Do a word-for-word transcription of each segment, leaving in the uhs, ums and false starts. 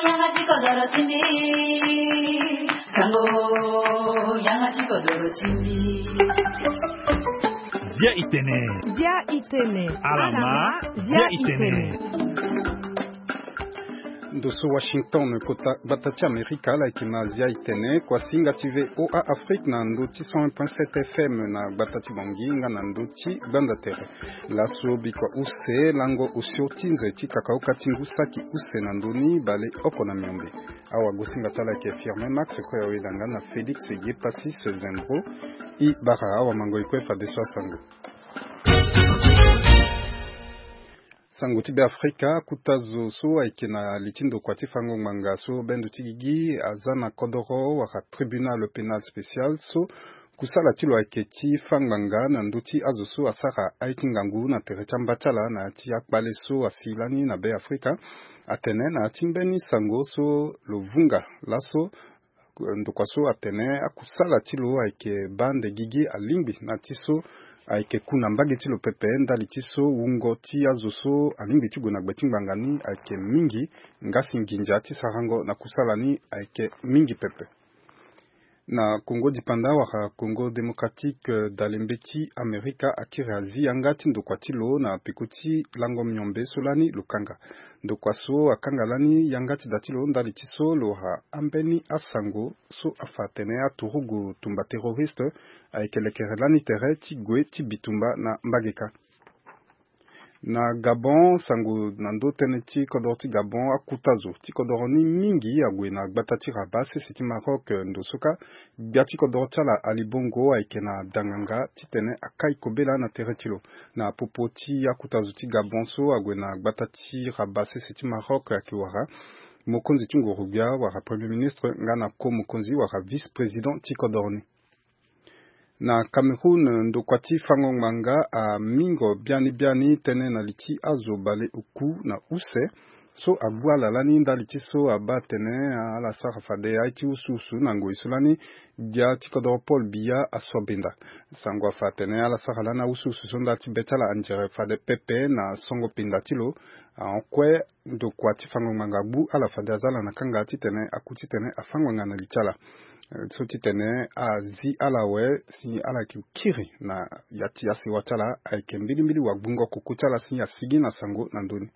Yanga ti kodoro ti mbi. Sango, yanga ti kodoro ti mbi. Bia itene. Bia itene. Alama. Bia itene. Ndo so Washington, kota gbata ti Amerika, ala yeke na Azia itene. Kuasinga ti V O A Afrique na ndo ti cent un point sept F M na gbata ti Bangui nga na ndo ti Gbanda Tere. Laso bikua use lango osio ti nze ti kakaoka ti ngu saki use na ndoni baleoko na miombe. Awagosinga ti ala ayeke Firmin Max, kue awelanga na Félix Yepassis Zembro. E bara awamango e kue fadeso asango. Sango ti Beafrika, akuta zo so ayeke na li ti ndokua ti fango ngbanga so bendo ti gigi aza na kodoro wala tribunal pénal spécial so kusala ti lo ayeke ti fâ ngbanga na ndö ti azo so asara aye ti ngangu na tere ti amba ti ala na ya ti akpale so asi lani na Beafrika. Atene na ya ti mbeni sango so lo vunga laso, ndokua so atene akusala ti lo ayeke baa nde gigi alingbi na ti so ayeke ku na mbage ti lo pepe ndali ti so wungo ti azo so alingbi ti gue na gbe ti ngbanga ni ayeke mingi, nga si nginza ti sarango na kusala ni ayeke mingi pepe. Na Congo Dipanda wala Congo Démocratique, eh, dalembe ti Amerika akiri azi yanga ti ndokua ti lo na peko ti lango miombe so lani lo kanga. Ndokua so akanga lani yanga ti da ti lo ndali ti so lo wara ambeni asango so afa atene aturugu tumba terroriste ayeke lekere lani tere ti gue ti bitumba na mbage kâ. Na Gabon, sango na ndö tënë ti kodoro ti Gabon, akuta zo ti kodoro ni mingi ague na gbata ti Rabat sese ti Maroc, eh, ndo so kâ gbia ti kodoro ti ala Ali Bongo ayeke na danganga titene akai kobela na tere ti lo. Na popo ti akuta zo ti Gabon so ague na gbata ti Rabat sese ti Maroc ayeke wara mokonzi ti nguru-gbia wala Premier Ministre nga na ko mokonzi wala vice-président ti kodoro ni. Na Cameroun, ndokua ti fango ngbanga amingo biani biani tënë na li ti azo baleoku na use so agbu ala lani ndali ti so abaa atene ala sara fade aye ti usuusu na ngoi so lani gbia ti kodoro Paul Biya aso benda. Sango afa atene ala sara lani ausuusu so ndali ti be ti ala anzere fade pepe na songo pinda ti lo. Ahon kue ndokua ti fango ngbanga agbu ala fade aza ala na kanga titene aku titene afâ ngbanga na li ti ala. Eh, so titene azi ala awe si ala yeke kiri na ya ti asewa ti ala ayeke mbilimbili wagbungo koko ti ala si asigi na sango na ndö ni.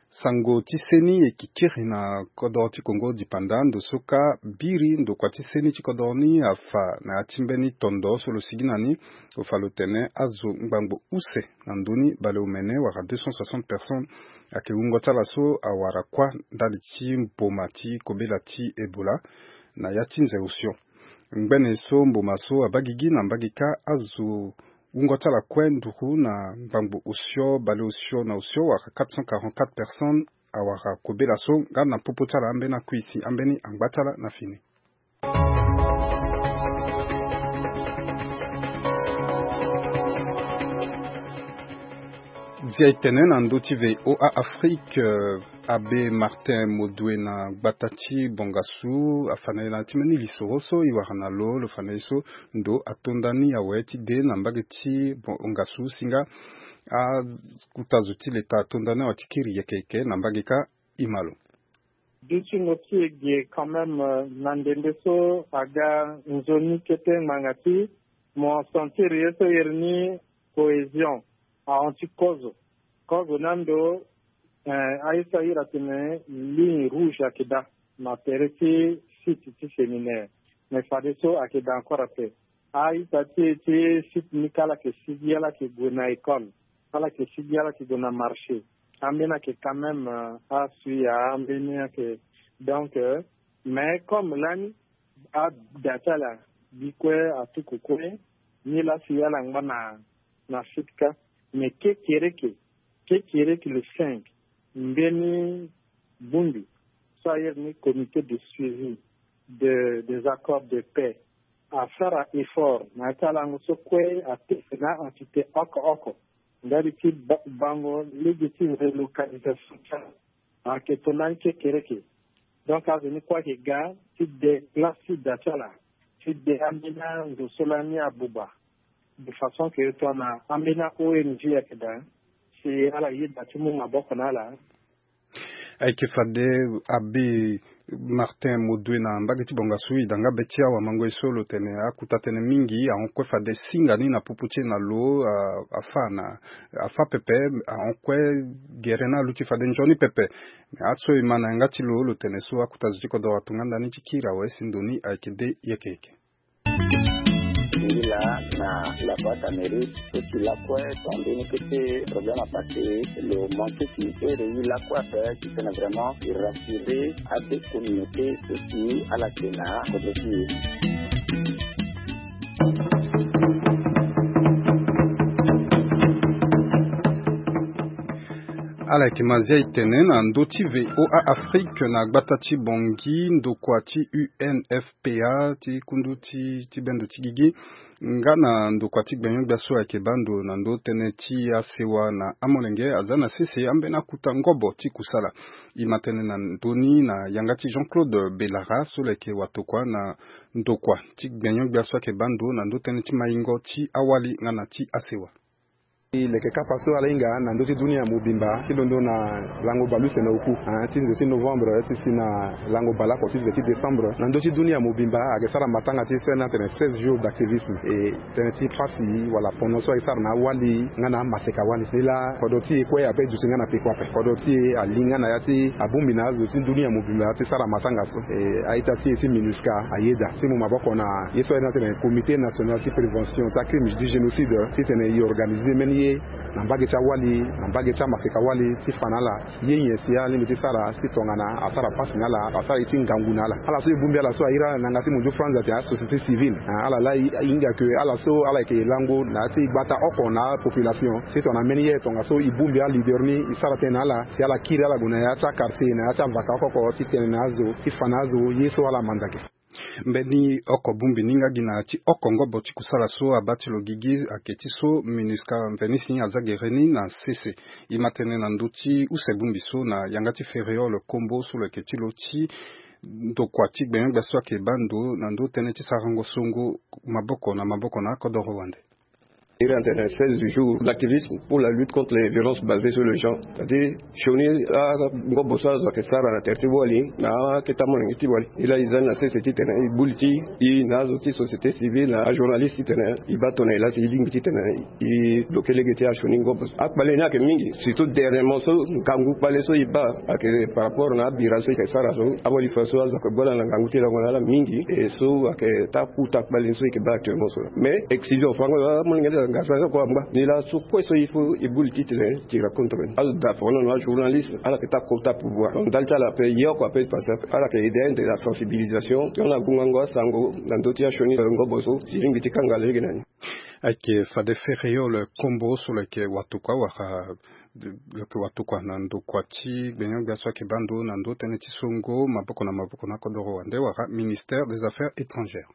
Sango ti seni e yeke kiri na kodoro ti Congo Dipanda, ndo so kâ biri ndokua ti seni ti kodoro ni afa na ya ti mbeni tondo so lo sigi na ni. Lo fa lo tene azo ngbangbo use na ndö ni baleomene wala deux cent soixante personnes ayeke wungo ti ala so awara kuâ ndali ti mboma ti kobela ti Ebola na ya ti nze osio. Ngbene so mboma so abaa gigi na mbage kâ azo wungo ti ala kue nduru na ngbangbo osio baleosio na osio wala quatre cent quarante-quatre personnes awara kobela so nga na popo ti ala ambeni akui si ambeni angba ti ala na fini. Zia e tene na ndö ti V O A Afrique, euh, Abbé Martin Modoué na gbata ti Bongassou afa na e na ya ti mbeni lisoro so e wara na lo, lo fa na e so ndo atonda ni awe ti de na mbage ti Bongassou si nga akuta zo ti leta atonda ni awe ti kiri yeke yeke na mbage kâ. E ma lo. Dutingo ti e ge quand même, euh, na ndembe so aga nzoni kete ngbanga ti mo sentir ye so iri ni cohésion ahon ti kozo. Kozo ni ando, eh, aye so a iri atene ligne rouge ayeke daa na tere ti site ti séminaire. Mais fadeso ayeke daa encore ape. A-ita ti e ti site ni kâ ala yeke sigi, ala yeke gue na école, ala yeke sigi, ala yeke gue na marché. Ambeni ayeke quand même, euh, asui ya, ambeni ayeke. Donc, euh, mais comme lani ada ti ala bi kue, atuku kue, ni laa si ala ngba na, na site kâ. Mais kekereke, kekereke le cinq, mbeni bundu so a iri ni comité de suivi de, des accords de paix asara effort na ya ti alango so kue atene na entité oko oko ndali ti ba-, bango lege ti relocalisation ti ala. Ayeke tongana ni kekereke. Donc azo ni kue ayeke ga ti de place ti da ti ala, ti de ambeni ando so lani abuba, de façon que tongana ambeni a-O N G ayeke daa si ala yeda ti mu maboko na ala. Ayeke fade abe Martin Modwe na mbage ti bongasu, e da nga be ti awamango ye so lo tene akuta tënë mingi ahon kue fade singa ni na popo ti e na lo, a- afa na afa pepe, ahon kue gere ni aluti fade nzoni pepe. Me aso e ma na yanga ti lo, lo tene so akuta zo ti kodoro atonga ndani ti kiri awe si ndo ni ayeke de yeke yeke. Ngi laa na la boîte à mérite, so si lakue tonga mbeni kete problème apassé, lo manqué si ere ye lakue ape titene vraiment e rassurer abe communauté so si ala yeke na kodro ti e. Ala yeke ma zia e tene na ndö ti V O A Afrique na gbata ti Bangui, ndokua ti U N F P A ti kundu ti, ti bendo ti gigi, nga na ndokua ti gbenyo-gbia so ayeke baa ndo na ndö tënë ti asewa na amolenge, aza na sese ambeni akuta ngobo ti kusala. E ma tënë na ndö ni na yanga ti Jean-Claude Belara so lo yeke watokua na ndokua ti gbenyo-gbia so ayeke baa ndo na ndö tënë ti maingo ti awali nga na ti asewa. E leke kapa so ala hinga na ndö ti dunia mobimba ti londo na lango baleuse na oku, ah, ti nze ti novembre ti si na lango baleoko ti nze ti décembre na ndö ti dunia mobimba ayeke sara matanga ti so ni atene seize jours d'activisme. E tënë ti pasi wala pono so ayeke sara na awali nga na amaseka wali. Ni laa kodro ti e kue ape duti nga na peko ape. Kodro ti e ali nga na ya ti abongbi na azo ti dunia mobimba ti sara matanga so. E a-ita ti e ti MINUSCA ayeda ti mu maboko na ye so ayeda ni atene Comité National ti Prévention ti acrime ti génocide titene e organiser mbeni ye na mbage ti awali, na mbage ti amaseka wali ti fa na ala ye nyen si alingbi ti sara si tongana asara pasi na ala, asara ye ti ngangu na ala. Ala so e bongbi ala so ahiri ala na yanga ti mundu France ate asociété civile. Ah, ala laa e hinga ke ala so ala yeke lango na ya ti gbata oko na apopulation si tongana mbeni ye tongaso e bongbi aleader ni e sara tënë na ala si ala kiri ala gue na ya ti aquartier na ya ti avaka oko oko ti tene na azo ti fa na azo ye so ala manza ge. Mbeni oko bongbi ni nga gi na ya ti oko ngobo ti kusala so abaa ti lo gigi ayeke ti so MINUSCA mveni si aza gere ni na sese. E ma tënë na ndö ti use bongbi so na yanga ti Ferréol Kombo so lo yeke ti lo ti ndokua ti gbenyo-gbia so ayeke baa ndo na ndö tënë ti sarango songo maboko na maboko na akodoro wande. Iri atene seize jours d'activisme pour la lutte contre les violences basées sur le genre. C'est-à-dire sioni angobo so azo ayeke sara na tere ti wali na akete amolenge ti wali. E laa e za ni na sese titene e buli ti e na azo ti société civile na ajournaliste titene e baa tongana e laa si e lingbi titene e bloke lege ti asioni ngobo so. Akpale ni ayeke mingi, surtout dernièrement so ngangu kpale so e baa ayeke par rapport na abira so e yeke sara so. Awali fa so azo ayeke gbu ala na ngangu ti lango na ala mingi, e so ayeke ta kuta kpale ni so e yeke baa actuellement so. Mais exclusion fango amolenge ti ala ngasa so kue angba. Ni laa so kue so il faut e buli titene e tira contre ni. Azo daa fango na ajournaliste ala yeke ta kota pouvoir. Donc ndali ti ala ape ye oko ape e passé ape. Ala yeke aide ande na sensibilisation ti hon na gungango asango na ndö ti asioni ngobo so si e lingbi ti kanga lege na ni. Ayeke fade Ferréol Kombo so lo yeke watokua wala lo yeke watokua na ndokua ti gbenyo-gbia so ayeke baa ndo na ndö tënë ti songo maboko na maboko na kodoro wande wala ministère des Affaires étrangères.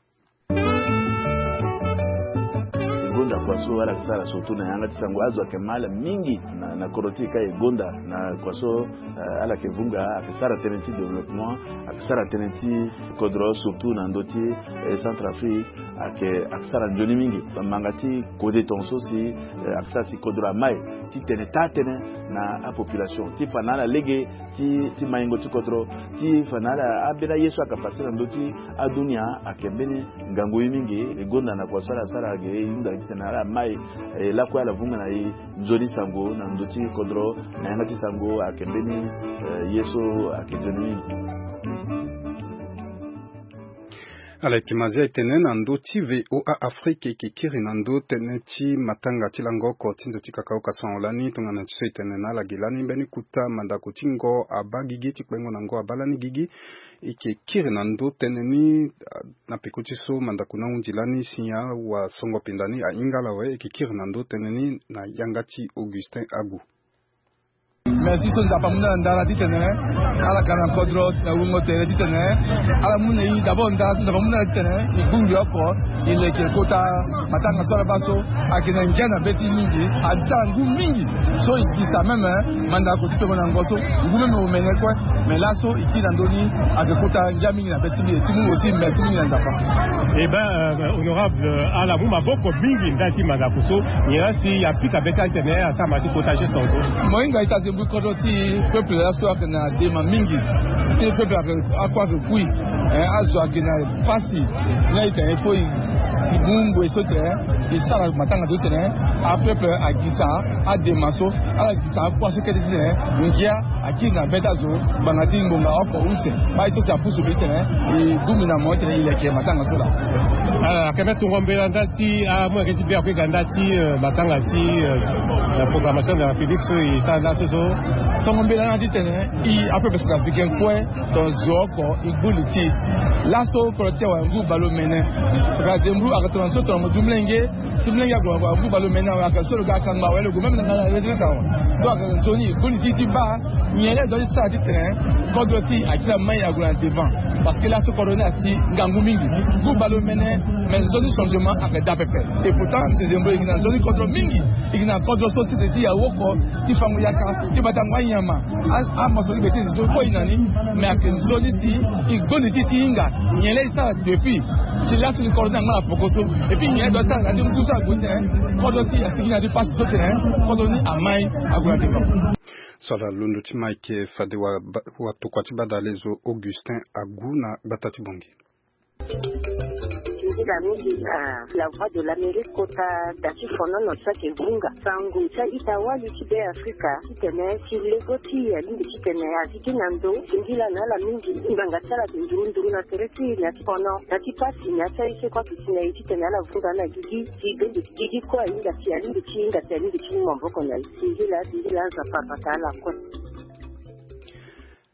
E gonda kua so ala yeke sara surtout na yanga ti sango azo ayeke ma ala mingi na, na kodro ti e ka e gonda na kua so, eh, ala yeke vunga ayeke sara tënë ti développement, ayeke sara tënë ti kodro surtout na ndö ti, eh, Centrafrique. Ayeke, ayeke sara nzoni mingi. Bamanga ti kode tongaso si, eh, ayeke sara si kodro amai titene taa tënë na apopulation ti fa na ala lege ti, ti maingo ti kodro, ti fa na ala ambeni aye so ayeke pase na ndö ti adunia. Ayeke mbeni ngangu ye mingi. E gonda na kua so ala sara ayeke e hunda titene ala mai, eh, lakue ala vunga na e nzoni sango na ndö ti kodro na yanga ti sango ayeke mbeni, eh, ye so ayeke nzoni mingi. Ala yeke ma zia e tene na ndö ti V O A Afrique e yeke kiri na ndö tënë ti matanga ti lango oko ti nze ti kakaoka sango lani tongana ti so e tene na ala ge lani mbeni kota mandako ti ngo abaa gigi ti kpengo na ngo abaa lani gigi. E yeke kiri na ndö tënë ni, ah, na peko ti so mandako ni ahunzi lani si awasongo pinda ni ahinga ala awe. E yeke kiri na ndö tënë ni na yanga ti Augustin Agu. Merci so Nzapa amu na ala ndara titene ala ka na kodro na wungo tere titene ala mu na e d'abord ndara so Nzapa amu na ala titene e bongbi oko e leke kota matanga so ala baa so ayeke na ngia na be ti e mingi. Adi ti ala ngu mingi so e gisa meme mandako ti tongo na ngo so ngu meme omene kue. Mais laso e kiri na ndö ni ayeke kota ngia mingi na be ti mbi. E ti mu aussi merci mingi na Nzapa. Eh ben, euh, honorable, euh, ala mu maboko mingi ndali ti mandako so. Nyen la si apika be ti ala titene asara ma ti kota geste na so. Mo hinga ita zembu Kodro ti peuple laso ayeke na dema mingi. Ti peuple ayeke, akue ayeke kui. Eh, azo ayeke na pasi. Ni ayeke na ye fo e, e mu ngoi so tene e sara matanga so tene apeuple agisa adema so, ala gisa akua so kete ti tene ngia akiri na be ti azo ngbanga ti ngonga oko use. Baa ye so si apusu mbi ti tene e gbu mbi na mo ti tene e leke matanga so laa. Ala ayeke mbi tongo mbela nda ti amu ayeke ti be akue ga nda ti, eh, matanga ti, eh, la programmation de la République so e sara nda so so. Tongo mbela na ti tene e apeuple centrafricain kue, tongana zo oko e gbu li ti e. Laso kodro ti e awara ngu baleomene. Tongana zembro ayeke tongana so tongana mo du molenge, si molenge ague na ngu baleomene awe, ayeke so lo ga akangba awe, lo gue même na nga na retraite awe. Donc ayeke nzoni e gbu li ti e ti baa nyen laa e doit ti sara ti tene kodro ti e akiri amai ague na devant. Parce que laso kodro ni ati ngangu mingi. Ngu baleomene, mais nzoni changement ayeke daa pepe. Et pourtant monsieur Zembro e gi na nzoni kodro mingi. E gi na kodro so ti tene ti e awoko ti fango yaka ti batango anyama. A, amoso ti gbe ti e so kue e na ni. Mais ayeke nzoni si e gbu li ti e ti hinga nyen laa e sara depuis. Si laso ni kodro ni angba na poko so. Et puis nyen laa e doit sara na ti ngu so ague tene kodro ti e asigi na ti pasi so tene kodro ni amai ague na devant. So ala londo ti ma ayeke fade wa, watokua ti badalezo Augustin Agu na gbata ti Bongi. Nzila mingi na La Voix de l'Amérique kota da ti fonono so ayeke vunga sango ti a-ita wali ti Be Afrika titene si lego ti e alingbi titene azi gi na ndo singila na ala mingi. Ngbanga ti ala ayeke nduru nduru na tere ti e na ti fono na ti pasi na ya ti aye so kue ayeke si na e titene ala vunga na gigi ti bende ti gigi kue ahinga si alingbi ti hinga si alingbi ti mu maboko na e. Singila singila Nzapa abata ala kue.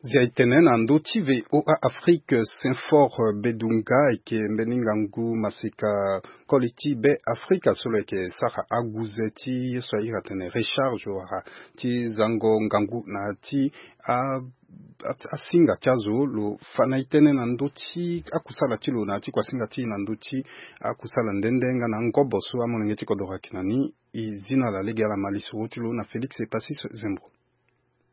Zia e tene na ndö ti V O A Afrique, Saint-Fort Bedunga ayeke mbeni ngangu masika koli ti Be Afrika so lo yeke sara aguze ti ye so a iri atene recharge wala ti zango ngangu na ya ti a, a, asinga ti azo. Lo fa na e tënë na ndö ti akusala ti lo na ya ti kuasinga ti e na ndö ti akusala nde nde nga na ngobo so amolenge ti kodoro ayeke na ni. E zi na ala lege ala ma lisoro ti lo na Félix Epasis Zembro.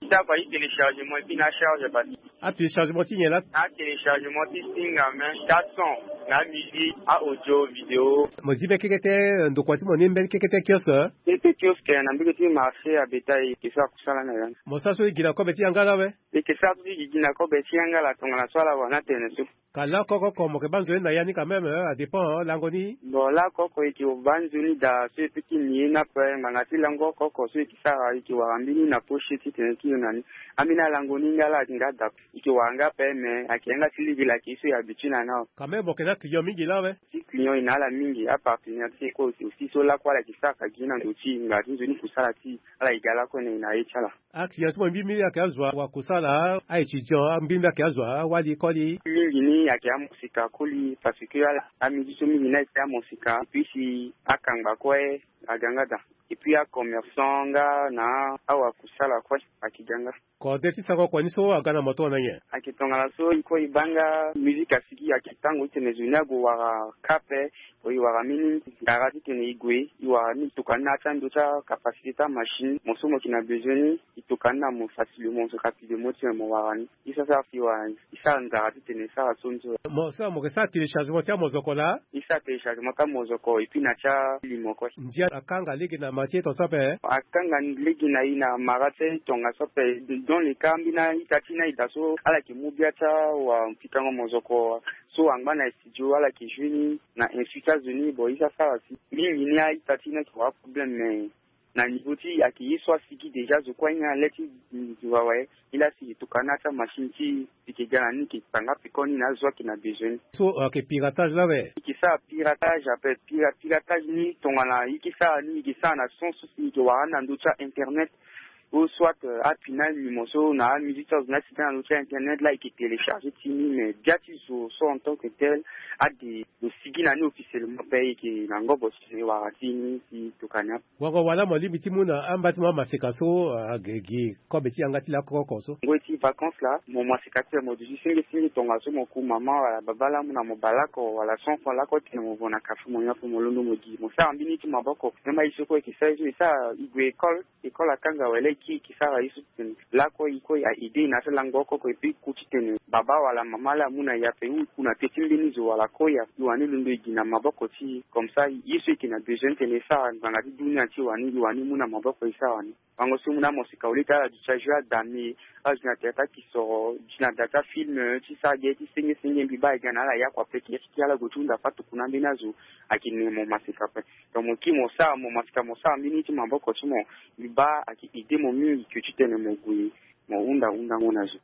Ndako aye téléchargement et puis na charge basi. Atéléchargement ti nyen laa? Atéléchargement ti singa même, ti ason, na musique, a audio, vidéo. Mo zi mbeni keke tënë, ndokua ti mo ni mbeni keke tënë kiosque? Keke kiosque na mbege ti marché ya bétail, e ke sara kusala na ya ni. Mo sara so e gi na kobe ti yanga laa awe? E ke sara so e gi na kobe ti yanga laa tongana so ala wara ni atene so. Ka laoko oko oko mo yeke baa nzoni na ya ni quand même, eh, adépend, eh, lango ni. Bon, laoko oko e yeke baa nzoni daa so e peut ti ni ye ni ape, ngbanga ti lango oko oko so e yeke sara e yeke wara mbeni na poche titene e kiri na ni. Ambeni alango ni nga laa ayeke nga daa. E yeke wara nga ape, mais ayeke yanga ti lege laa ayeke ye so e habitue na ni awe. Quand même mo yeke na client mingi laa awe? Ti client e na ala mingi, apartenaire ti e kue aussi so lakue ala yeke sara ka gi na ndo ti e, ngbanga ti nzoni kusala ti e, ala yeke ga lakue na e na ye ti ala. Aclient ti mo mbi mbi ayeke azo wa kusala, a-étudiant mbi mbi ayeke azo awali koli. Mingi ni ayeke amosika koli parce que ala, amidi so mingi ni ayeke amosika, et puis si akangba kue aga nga daa. Et puis acommerçant nga na awakusala kue ayeke ga nga. Kode ti sako kua ni so aga na mo tongana nyen? Ayeke tongana so e kue e baa nga musique asigi ayeke tango titene zo ni ague wara ka ape. Bon, e wara mbeni ndara titene e gue, e wara ni e tokua ni na ya ti ando ti acapacité ti amachine. Mo so mo yeke na besoin ni, e tokua ni na mo facilement, so rapidement titene mo wara ni. E sara sara fi e wara ni, e sara ndara titene e sara so nzoni. Mo sara, mo yeke sara téléchargement ti amozoko laa? E sara téléchargement ti amozoko et puis na ti alimo kue. Ndia akanga lege na mara ti e tongaso ape? Akanga lege na e na mara ti e tongaso ape. Dans le cas ambeni a-ita ti ni aye daa so ala yeke mu bia ti awapikango mozoko so angba na studio, ala yeke joue ni na insu ti azo ni. Bon, e sara sara si mingi ni a-ita ti ni ayeke wara problème, mais na niveau ti e ayeke ye so asigi déjà, zo kue anyen ale ti zo awe. E laa si e tokua ni na ya ti amachine ti e, e yeke ga na ni, e yeke kpanga peko ni na azo ayeke na besoin ni. So ayeke piratage laa awe? E yeke sara piratage ape. Pira-, piratage ni tongana e yeke sara ni, e yeke sara na sens so si e yeke wara ni na ndö ti a-internet. Ou soit, euh, apui na alimo so na amusique ti azo ni asigi na ndö ti a-internet laa e yeke télécharger ti ni, mais bia ti zo so en tant que tel ade lo sigi na ni officiellement ape, e yeke na ngobo titene e wara ti ni si e tokua ni ape. Wango wala mo lingbi ti mu na amba ti mo amaseka so, ah, gi, gi kobe ti yanga ti laoko oko so? Ngoi ti vacances laa, mo maseka ti mo duti senge senge tongaso mo ku mama wala baba laa mo na mo bale oko wala cent francs laoko titene mo vo na café mo nyon ape mo londo mo gi. Mo sara mbeni ti maboko. Même aye so kue e yeke sara ye so e sara, e gue école, école akanga wala e Ti e ke sara ye so titene lakue e kue a aide e na ya ti lango oko oko, et puis e ku titene baba wala mama laa amu na e ape ou e ku na te ti mbeni zo wala kue e wani londo e gi na maboko ti e. Comme ça ye so e yeke na besoin titene e sara ngbanga ti dunia ti e wani e wani mu na maboko e sara wani. Bango so e mu na mosika au lieu ti ala duti ajouer adame, ala duti na théâtre akisoro, duti na da ti afilm, ti sara ge ti senge senge, mbi baa e ga na ala ya kua pe e yeke ya ti kiri ala gue ti hunda fâ tuku na ambeni azo. Ayeke ne mo maseka ape. Donc mo kiri mo sara mo maseka mo sara mbeni ye ti maboko ti mo. Mbi baa ayeke aide mo mingi ke titene mo gue mo hunda hundango na zo.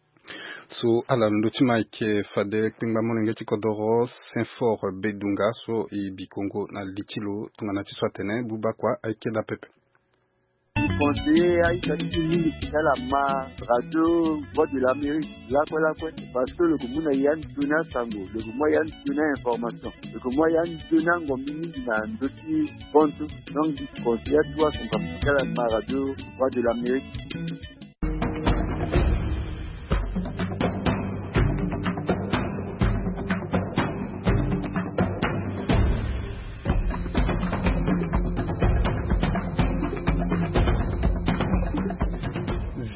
So ala londo ti ma ayeke fade kpengba molenge ti kodoro Saint Fort Bedunga so e bi kongo na li ti lo tongana ti so atene buba kua ayeke daa pepe. Conseiller aita ti ti mingi ti ala ma radio Voix de l'Amérique lakue lakue, parce que lo ke mu na ya nzoni asango, lo ke mu ya nzoni a-information, lo ke mu ya nzoni angombi mingi na ndö ti bontu. Donc mbi conseiller atuwa asunga ti ala ma radio Voix de l'Amérique.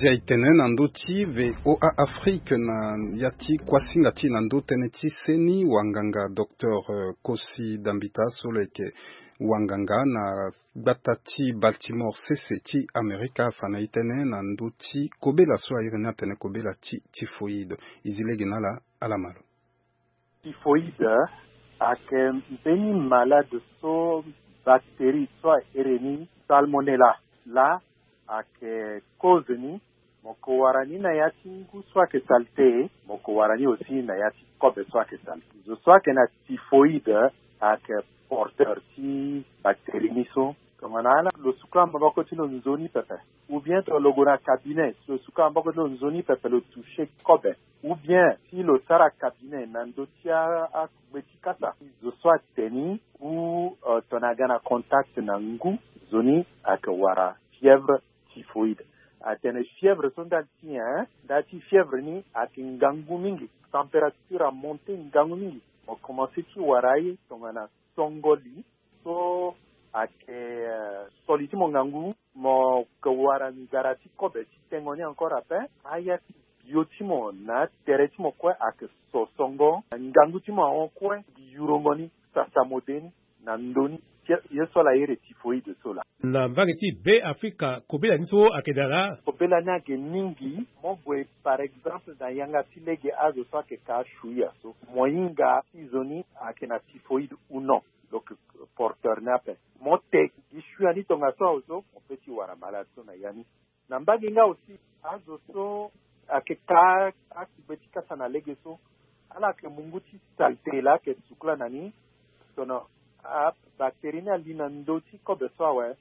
Zia e tene na ndö ti VOA Afrique na ya ti kuasinga ti e na ndö tënë ti seni wanganga docteur, euh, Kosi Dambita so lo yeke wanganga na gbata ti Baltimore sese ti Amerika afa na e tënë na ndö ti kobela so a iri ni atene kobela ti typhoïde. E zi lege na ala, ala ma lo. Typhoïde ayeke mbeni malade so bactérie so a iri ni salmonella laa ayeke cause ni. Mo ke wara ni na ya ti ngu so ayeke salté, mo ke wara ni aussi na ya ti kobe so ayeke salté. Zo so ayeke na typhoïde ayeke porteur ti bactérie ni so. Tongana ala lo sukula maboko ti lo nzoni pepe, ou bien tongana lo gue na cabinet, si lo sukula maboko ti lo nzoni pepe lo toucher kobe, ou bien si lo sara cabinet na ndö ti a, akugbe ti kasa, zo so atene ni, ou, euh, tongana aga na contact na ngu, zo ni ayeke wara fièvre typhoïde. Atene fièvre so ndali ti nyen? Ndali ti fièvre ni ayeke ngangu mingi, température amonte ngangu mingi. Mo commencé ti wara ye tongana songo li so ayeke, euh, so li ti mo ngangu, mo ke wara nzara ti kobe ti tengo ni encore ape. Aya ti bio ti mo na atere ti mo kue ayeke so songo, ngangu ti mo ahon kue, gi yurongo ni, sasa mo de ni na ndö ni. Ye so ala iri typhoïde so laa. Na mbage ti Beafrika, kobela ni so ayeke daa laa? Kobela ni ayeke mingi. Mo gue par exemple na yanga ti lege azo so ayeke ka shuia so, mo hinga ti zo ni ayeke na typhoïde ou non. Donc porteur ni ape. Mo te gi shuia ni tongaso awe so, mo peut ti wara malade so na ya ni. Na mbage nga aussi, azo so ayeke ka akugbe ti kasa na lege so, ala yeke mungu ti saleté laa ayeke sukula na ni. Tongana abactérie ni ali na ndö ti kobe so awe,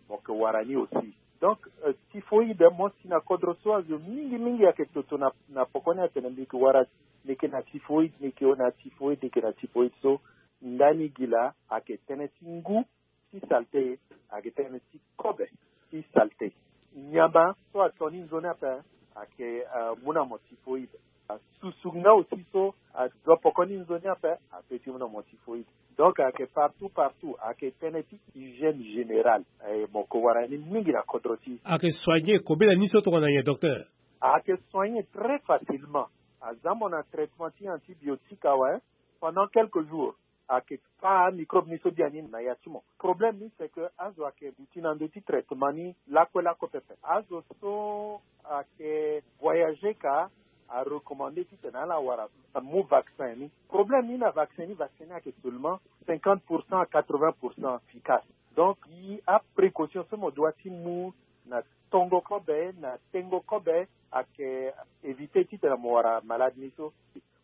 mo yeke wara ni aussi. Donc, euh, typhoïde, mo si na kodro so azo mingi mingi ayeke toto na, na poko ni atene mbi yeke wara, mbi yeke na typhoïde, mbi yeke na typhoïde, mbi yeke na typhoïde so. Ndani gi laa ayeke tënë ti ngu ti saleté, ayeke tënë ti kobe ti saleté. Nyama so ato ni nzoni ape ayeke, euh, mu na mo typhoïde. Susu nga aussi so azo poko ni nzoni ape apeut ti mu na mo typhoïde. Donc ayeke partout, partout, ayeke tënë ti hygiène générale. Eh, mo yeke wara ni mingi na kodro ti. Ayeke soigner kobela ni so tongana nyen, docteur? Ayeke soigner très facilement. Aza mo na traitement ti antibiotique awe, pendant quelques jours ayeke fâ microbe ni so biani na ya ti mo. Problème ni c'est que azo ayeke duti na ndö ti traitement ni lakue lakue pepe. Azo so ayeke voyager ka, arecommandé titene ala wara, amu vaccin ni. Problème ni na vaccin ni, vaccin ni ayeke seulement cinquante pour cent à quatre-vingts pour cent efficace. Donc gi aprécaution so mo doit ti mu na tongo kobe, na tengo kobe, ayeke éviter titene mo wara malade ni so.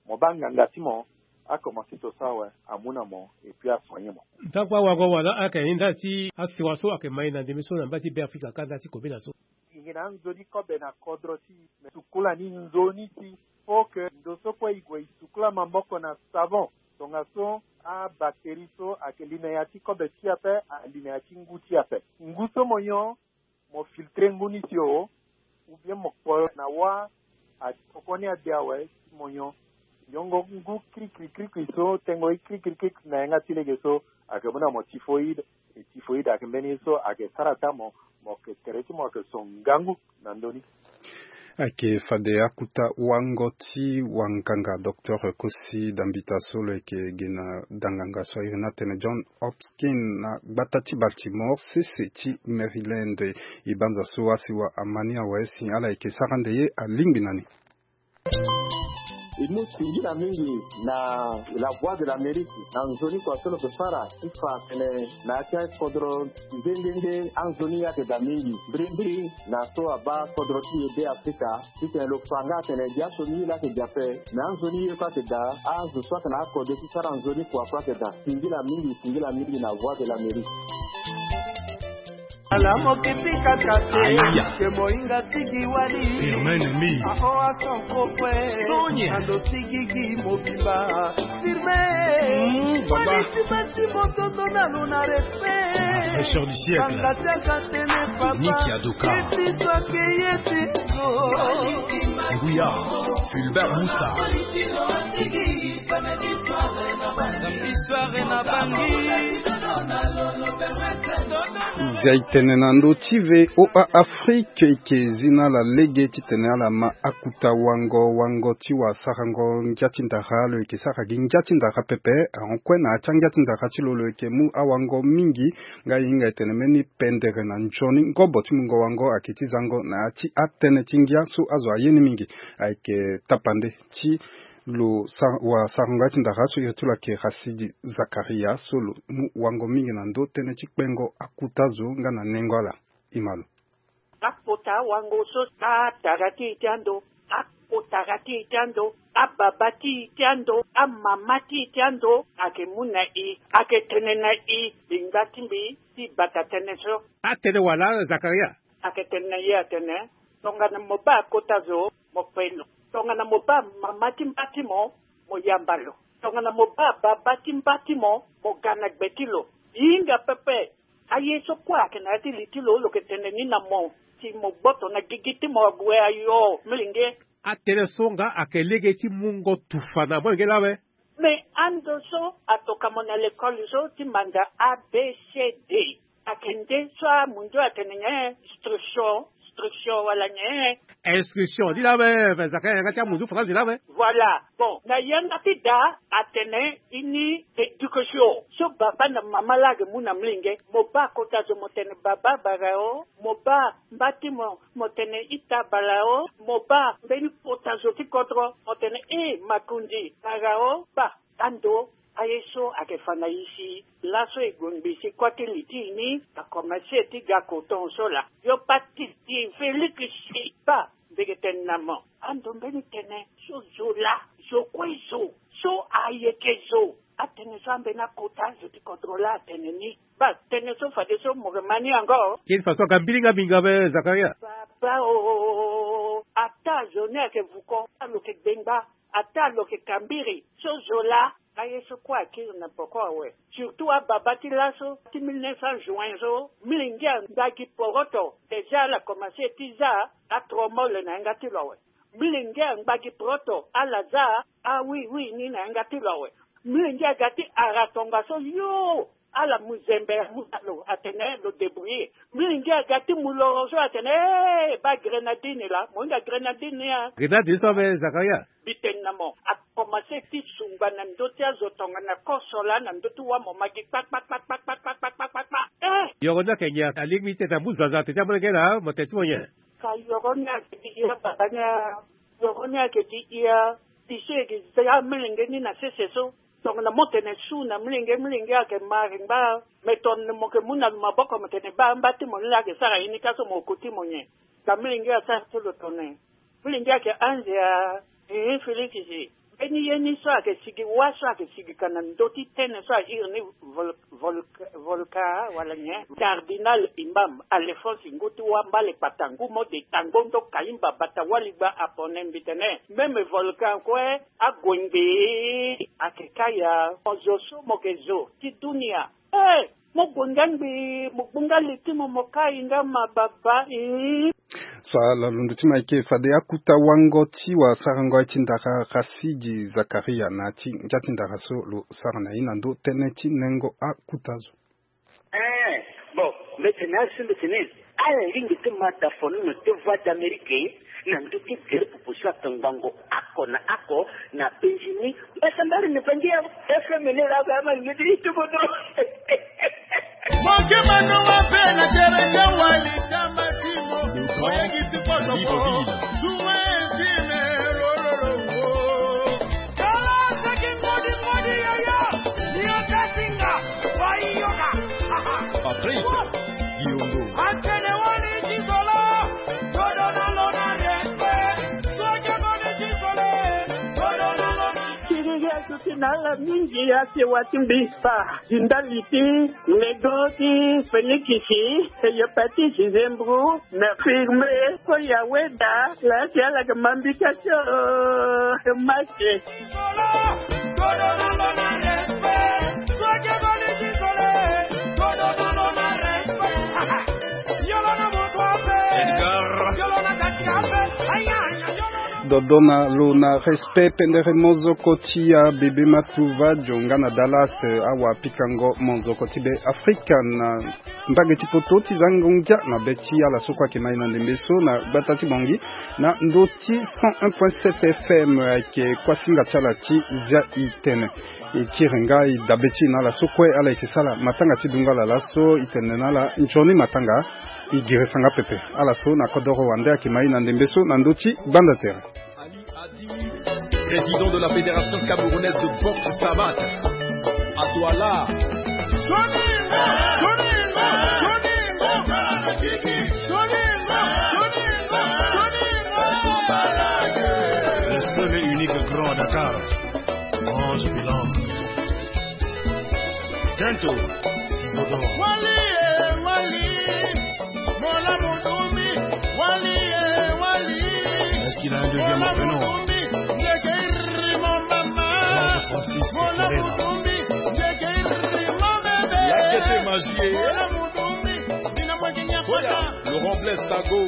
Mo baa nganga ti mo akomanse to so awe, amu na mo et puis asoigner mo. Ntangu awago wala ayeke ni ndali ti asiwa so ayeke ma e na ndembe so na mbage ti Beafrika ka ndali ti kobela so. E yeke na anzoni kobe na kodro ti e, me sukula ni nzoni ti. Faut que ndo so kue e gue e sukula maboko na savon. Tongaso abactérie so ayeke li na ya ti kobe ti e ape, ali na ya ti ngu ti e ape. Ngu so mo nyon, mo filtrer ngu ni si o, ou bien mo kpo na wâ, a, poko ni ade awe, si mo nyon. Nyongo ngu krikri krikri so, tengo ye krikri krikri na yanga ti lege so, ayeke mu na mo typhoïde. E typhoïde ayeke mbeni ye so ayeke sara taa mo, mo yeke tere ti mo yeke so ngangu na ndö ni. Ayeke fade akuta wango ti wanganga docteur Kosi Dambita so lo yeke gi na danganga so a iri ni atene John Hopkins na gbata ti Baltimore sese ti Maryland. E banza so asiwa ama ni awe si ala yeke sara nde ye alingbi na ni. E mu singila mingi na La Voix de l'Amérique na nzoni kua so lo yeke fara ti fa atene na ya ti akodro nde nde nde anzoni ye ayeke daa mingi mbirimbiri na so abaa kodro ti e Be Afrika. Titene lo fa nga atene gi aso ni ye laa ayeke gi ape, me anzoni ye kue ayeke daa, azo so ayeke na akode ti sara nzoni kua kue ayeke daa. Singila mingi, singila mingi na Voix de l'Amérique. Ala mo kiti kaka te. Aya. Ke mohinga tigi wali. Firme ennemi. Aho aso kofwe. Sonia. Ando tigi gi mobimba. Firme. Mm, baba. Wali ti basi motondo na lo na respect. Fraîcheur du siècle. Banga tiaka tene papa. Nicky Adoka. Keti so ake ye ti so. Nguya. Fulbert Moussa. Histoire na bangi. Nzia e tene na ndö ti V O A Afrique, e yeke zi na ala lege titene ala ma akuta wango, wango ti wasarango ngia ti ndara. Lo yeke sara gi ngia ti ndara pepe. Ahon kue na ya ti angia ti ndara ti lo, lo yeke mu awango mingi. Nga e hinga e tene mbeni pendere na nzoni ngobo ti mungo wango ayeke ti zango na ya ti atënë ti ngia so azo aye ni mingi. Ayeke tapande ti lo sa-, wasarango ya ti ndara so iri ti lo ayeke Rasidi Zakaria so lo mu wango mingi na ndö tënë ti kpengo akuta zo nga na nengo ala. E ma lo. Akota wango so atara ti e ti ando, akotara ti e ti ando, ababa ti e ti ando, amama ti e ti ando, ayeke mu na e, ayeke tene na e, lingba ti mbi ti bata tënë so. Atene wala Zakaria? Ayeke tene na e atene, tongana mo baa kota zo, mo kpe lo. Tongana mo baa mama ti mba ti mo, mo yamba lo. Tongana mo baa baba ti mba ti mo, mo ga na gbe ti lo. Hinga pepe, aye so kue ayeke na ya ti li ti lo, lo yeke tene ni na mo, si mo gboto na gigi ti mo ague ayo, milenge. Atënë so nga ayeke lege ti mungo tufa na molenge laa awe. Me ando so atoka mo na lekole so ti manda A B C D. Ayeke nde so amundu atene nyen? Instruction, instruction wala nyen? Instruction ni laa awe, Zakaria, yanga ti amundu faranzi laa awe. Voilà. Bon, na yanga ti da atene ini éducation. So baba na mama laa ayeke mu na molenge, mo baa kota zo mo tene baba bara o, mo baa mba ti mo, mo tene ita bara o, mo baa mbeni kota zo ti kodro, mo tene e makonzi bara o, baa. Ando aye so ayeke fa na e si laso e gue ngbii si kua ti li ti e ni akomanse ti ga koton so laa. Yo pati ti Félix si baa, mbi yeke tene na mo. Ando mbeni tënë so zo laa, zo kue zo, so ayeke zo. Atënë so ambeni akota zo ti kodro laa atene ni. Baa, tënë so fadeso mo yeke ma ni yango. Kini faso aga mbilinga mingi ape, Zakaria. Baba o, ata zo ni ayeke vuko, ata lo yeke gbengba, ata lo yeke kambiri. So zo laa, aye so kue akiri na poko awe. Surtout ababa ti laso, ti mille neuf cents juin so, milenge angba gi poroto. Déjà ala komanse ti za atromole na yanga ti lo awe. Milenge angba gi poroto, ala za awiwi ni na yanga ti lo awe. Milenge aga ti ara tongaso yo, ala mu zembe amu na lo atene lo débrouiller. Milenge aga ti mu loro so atene, eh, baa grenadine laa, mo hinga grenadine ni a. Grenadine so ape, Zakaria? Mbi tene na mo, akomanse ti sungba na ndö ti azo tongana koso laa na ndö ti wamoma gi kpakpakpakpakpakpakpakpakpakpa. Eh! Yoro ni ayeke nyen? Alingbi ti tene amu zaza atene ti amolenge laa, mo tene ti mo nyen? Ka yoro ni ayeke gi hia baba ni a, yoro ni ayeke gi hia. Biso e gi za amolenge ni na sese so. Tongana mo tene su na molenge, molenge ayeke mari ngba. Me tongana mo yeke mu na lo maboko mo tene baa mba ti mo ni laa ayeke sara ye ni ka so mo ko ti mo nyen? Ka molenge asara so lo tene. Molenge ayeke anze a, eh, Félix si. Mbeni ye ni so ayeke sigi, wâ so ayeke sigi ka na ndö ti tënë so a iri ni vol-, vol-, volka wala nyen? Cardinal Imam Alphonse ngu ti wâ mbale kpata ngu mo de tango ndo kaimba bata waligba apone mbi tene. Même volcan kue ague ngbii ayeke kâ ya. Mo zo so mo yeke zo ti dunia. Eh! Mo gue nga ngbii, mo gbu nga li ti mo, mo kai nga ma baba, ii. So ala londo ti mo ayeke fade akuta wango ti wasarango aye ti ndara Rasidi Zakaria na ya ti ngia ti ndara so lo sara na ye na ndö tënë ti nengo akuta zo. Eh, bon, mbi tene asi mbi tene. Ala lingbi ti ma da fono na te Voix d'Amérique na ndö ti gere pupu so ake ngbongo oko na oko na Benjini. Mbasambari na bangi ya F M ni la ba ma ni ti tubo do. Moke mano wa pe na tere ya wali tama timo. Oyegi ti poto ko. Suwe tine ro ro ro wo. Kala saki ngodi ngodi ya ya. Ni o tasinga. Wa i yoka. Patrick Diongo. Atene wani ti solo. Todo na lo na respect. Soke ngodi ti solo. Todo na lo na. Kiri ya suti na ala mingi ya si wa ti mbi pa. Zindali ti Lego ti Felikisi, Eyopati Zizembru, na firme, ko ya weda, la si ala ga mambi ka tio, mase. Edgar. Dodona lo na respect pendere mozoko ti ya bebe matuva jonga na Dallas, awa pikango mozoko ti be Afrika na mbage ti poto ti zango ngia na be ti ala so kue ayeke mai na ndembe so na gbata ti Bangui na ndö ti cent un point sept F M. Ayeke kuasinga ti ala ti zia i tene. E kiri nga e dabe ti e na ala so kue ala yeke sala matanga ti dungo ala laso, e tene na ala nzoni matanga. E girisa nga pepe ala so na kodoro wande ayeke mai na ndembe so na ndö ti gbanda tere. Président de la Fédération camerounaise de boxe savate. À toi là. Le seul et unique grand à Dakar. Ange Bilan. Tento. Wali, eh, wali. Mola Mudumbi. Wali, eh, wali. Est-ce qu'il a un deuxième prénom? Mola Mudumbi. Ndeke iri mo mama. Georges Francis Mola Teresa. Mudumbi. Ndeke iri mo bebe. Yakete magie. Mola Mudumbi. Dina mwa kinya. Oya, kota. Laurent Blaise Sago.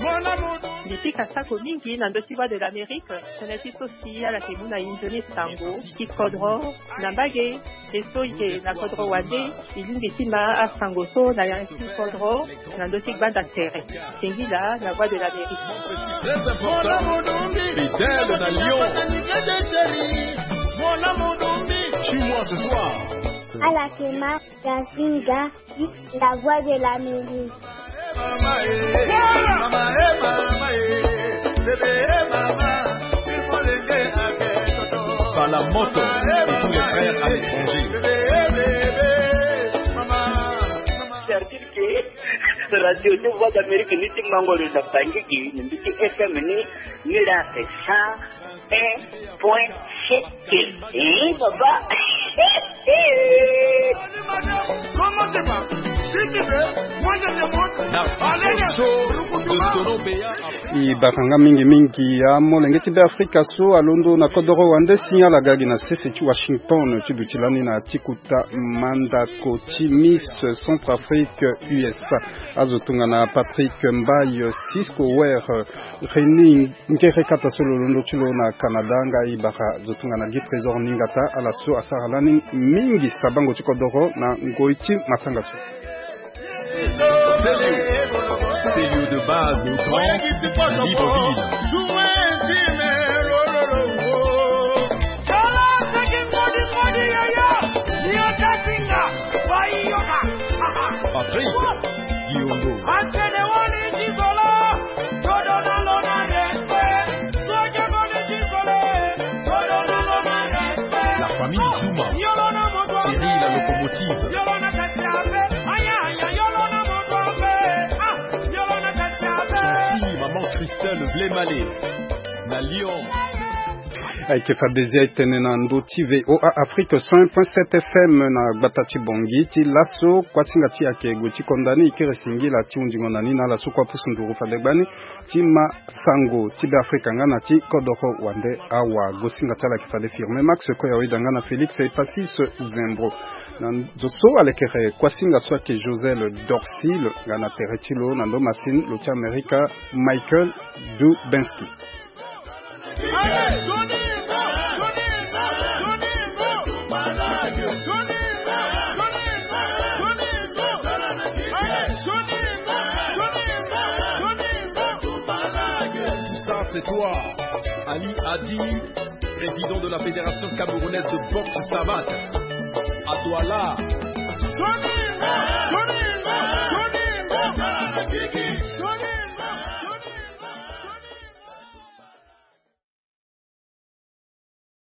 Mola Mudumbi. Mbi pika sako mingi na ndö ti Voix de l'Amérique. Tënë ti so si ala yeke mu na e nzoni sango ti kodro na mbage. E so e yeke na kodro wande, e lingbi ti ma asango so na ya ti kodro na ndö ti gbanda tere. Singila na Voix de l'Amérique. Très important. Fidèle na Lyon. Suis-moi ce soir. Ala yeke ma Gazinga, la Voix de l'Amérique. Balamoto et tous les frères à l'étranger. C'est-à-dire que radio de Voix d'Amérique ni ti mango lo na Bangui, ni ti F M ni, ni la c'est ça. Un point sept. Eh, papa. Na poso de Torobeya. E baka nga mingi mingi ya molenge ti Beafrika so alondo na kodoro wande si ala ga gi na sese ti Washington ti duti lani na ti kuta mandako ti Miss Centrafrique U S A. Azo tongana Patrick Mbaye, Cisco Ware, René Ngere kata so lo londo ti lo na Canada, nga e bara zo tongana Guy Trésor Ningata, ala so asara lani mingi sabango ti kodoro na ngoi ti matanga so. Telio, Telio de base au grand, Libreville. Patrick Diongo. La famille Zuma, Thierry la locomotive. Gentil, maman Christelle Vlemale, na Lyon. Ayeke fade zia e tene na ndö ti V O A Afrique cent un point sept F M na gbata ti Bangui. Ti laso, kuasinga ti e ayeke gue ti konda ni, e kiri singila ti hundingo na ni na ala so kue apusu nduru fade gbani ti ma sango ti Beafrika nga na ti kodoro wande awa. Gosinga ti ala ayeke fade Firmin Max Koya Weda nga na Félix Epasis Zembro. Na zo so alekere kuasinga so ayeke Josel Dorsil nga na tere ti lo na ndo masini lo ti Amerika Michael Dubensky. Toi, Ali Adi, président de la Fédération camerounaise de boxe savate. À toi là. Soni, Soni,